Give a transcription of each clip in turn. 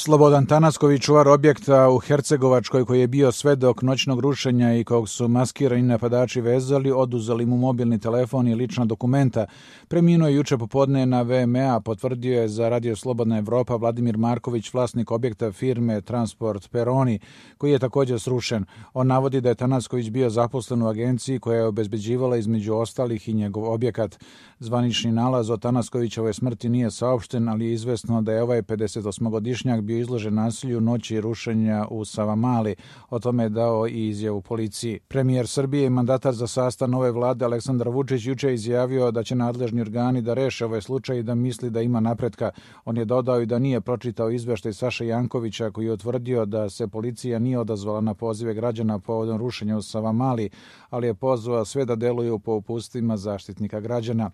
Slobodan Tanasković, čuvar objekta u Hercegovačkoj koji je bio svedok noćnog rušenja i kog su maskirani napadači vezali, oduzeli mu mobilni telefon i lična dokumenta. Preminuo je juče popodne na VMA, potvrdio je za Radio Slobodna Evropa Vladimir Marković, vlasnik objekta firme Transport Peroni, koji je također srušen. On navodi da je Tanasković bio zaposlen u agenciji koja je obezbeđivala između ostalih i njegov objekat. Zvanični nalaz o Tanaskovićevoj smrti nije saopšten, ali je izvesno da je ovaj 58-godišnjak bio izložen nasilju noći rušenja u Savamali. O tome je dao i izjavu policiji. Premijer Srbije i mandatar za sastav nove vlade Aleksandar Vučić juče izjavio da će nadležni organi da reše ovaj slučaj i da misli da ima napretka. On je dodao i da nije pročitao izveštaj Saše Jankovića koji je utvrdio da se policija nije odazvala na pozive građana povodom rušenja u Savamali, ali je pozvao sve da deluju po upustvima Zaštitnika građana.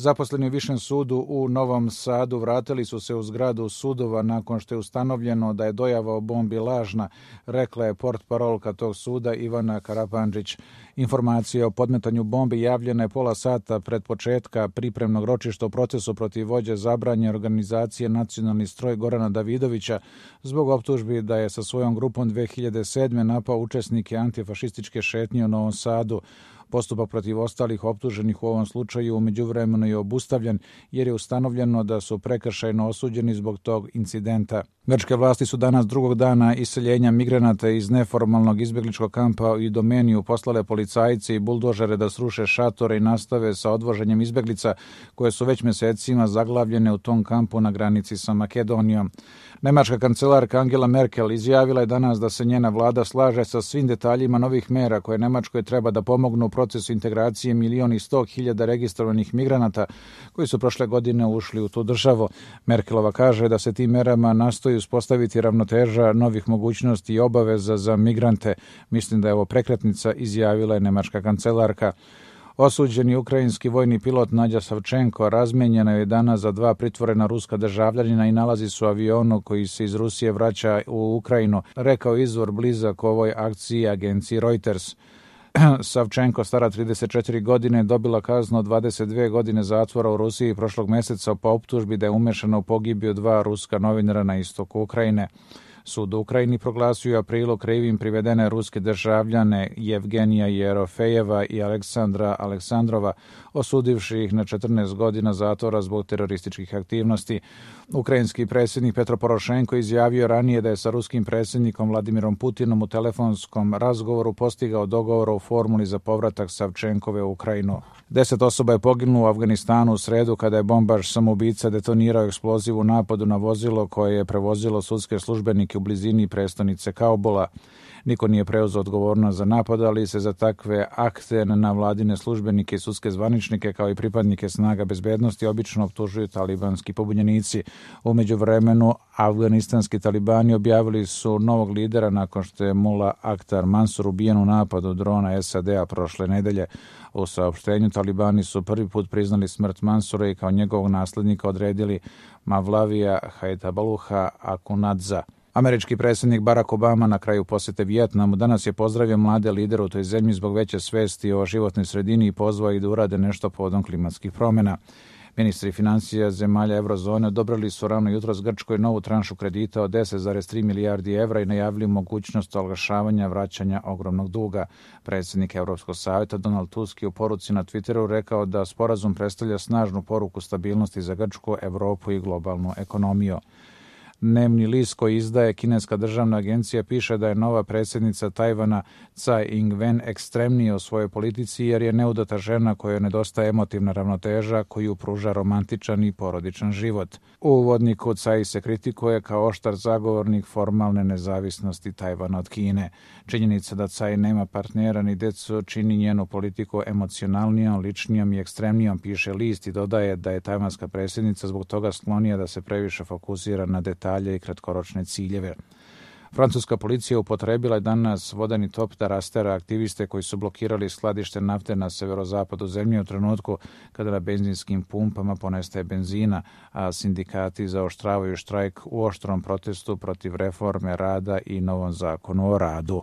Zaposleni u Višem sudu u Novom Sadu vratili su se u zgradu sudova nakon što je ustanovljeno da je dojava o bombi lažna, rekla je portparolka tog suda Ivana Karapandžić. Informacija o podmetanju bombi javljena je pola sata pred početka pripremnog ročišta u procesu protiv vođe zabranjene organizacije Nacionalni stroj Gorana Davidovića zbog optužbi da je sa svojom grupom 2007. napao učesnike antifašističke šetnje u Novom Sadu. Postupak protiv ostalih optuženih u ovom slučaju u međuvremenu je obustavljen jer je ustanovljeno da su prekršajno osuđeni zbog tog incidenta. Grčke vlasti su danas drugog dana iseljenja migranata iz neformalnog izbjegličkog kampa u Idomeniju poslale policajce i buldožere da sruše šatore i nastave sa odvoženjem izbjeglica koje su već mjesecima zaglavljene u tom kampu na granici sa Makedonijom. Nemačka kancelarka Angela Merkel izjavila je danas da se njena vlada slaže sa svim detaljima novih mera koje Nemačkoj treba da pomognu u procesu integracije 1.100.000 registrovanih migranata koji su prošle godine ušli u tu državu. Merkelova kaže da se tim merama nastoji uspostaviti ravnoteža novih mogućnosti i obaveza za migrante. Mislim da je ovo prekretnica, izjavila je nemačka kancelarka. Osuđeni ukrajinski vojni pilot Nadja Savčenko razmijenjena je danas za 2 pritvorena ruska državljanina i nalazi se u avionu koji se iz Rusije vraća u Ukrajinu, rekao izvor blizak ovoj akciji agenciji Reuters. Savčenko, stara 34 godine, dobila kaznu od 22 godine zatvora u Rusiji prošlog mjeseca po optužbi da je umešana u pogibiju 2 ruska novinara na istoku Ukrajine. Sud u Ukrajini proglasio u aprilu krivim privedene ruske državljane Jevgenija Jerofejeva i Aleksandra Aleksandrova, osudivši ih na 14 godina zatvora zbog terorističkih aktivnosti. Ukrajinski predsjednik Petro Porošenko izjavio ranije da je sa ruskim predsjednikom Vladimirom Putinom u telefonskom razgovoru postigao dogovor o formuli za povratak Savčenkove u Ukrajinu. 10 osoba je poginulo u Afganistanu u sredu kada je bombaš samoubica detonirao eksploziv u napadu na vozilo koje je prevozilo sudske službenike u blizini prestonice Kaubula. Niko nije preuzeo odgovornost za napad, ali se za takve akte na vladine službenike i sudske zvaničnike kao i pripadnike snaga bezbednosti obično optužuju talibanski pobunjenici. U međuvremenu afganistanski talibani objavili su novog lidera nakon što je Mullah Akhtar Mansur ubijen u napadu drona SAD-a prošle nedelje. U saopštenju talibani su prvi put priznali smrt Mansura i kao njegovog nasljednika odredili Mavlavija Hajtabaluha Akunadza. Američki predsjednik Barack Obama na kraju posjete Vijetnamu danas je pozdravio mlade lidere u toj zemlji zbog veće svesti o životnoj sredini i pozvao ih da urade nešto povodom klimatskih promjena. Ministri financija zemalja eurozone odobrili su rano jutros Grčkoj novu tranšu kredita od 10,3 milijardi evra i najavili mogućnost olakšavanja vraćanja ogromnog duga. Predsjednik Europskog savjeta Donald Tusk je u poruci na Twitteru rekao da sporazum predstavlja snažnu poruku stabilnosti za Grčku, Europu i globalnu ekonomiju. Dnevni list koji izdaje kineska državna agencija piše da je nova predsjednica Tajvana Tsai Ing-wen ekstremnija u svojoj politici jer je neudata žena kojoj nedostaje emotivna ravnoteža koju pruža romantičan i porodičan život. U uvodniku Tsai se kritikuje kao oštar zagovornik formalne nezavisnosti Tajvana od Kine. Činjenica da Tsai nema partnera ni decu čini njenu politiku emocionalnijom, ličnijom i ekstremnijom, piše list i dodaje da je tajvanska predsjednica zbog toga sklonija da se previše fokusira na detalje i kratkoročne ciljeve. Francuska policija upotrebila je danas vodeni top da rastera aktiviste koji su blokirali skladište nafte na severozapadu zemlje u trenutku kada na benzinskim pumpama ponestaje benzina, a sindikati zaoštravaju štrajk u oštrom protestu protiv reforme rada i novom zakonu o radu.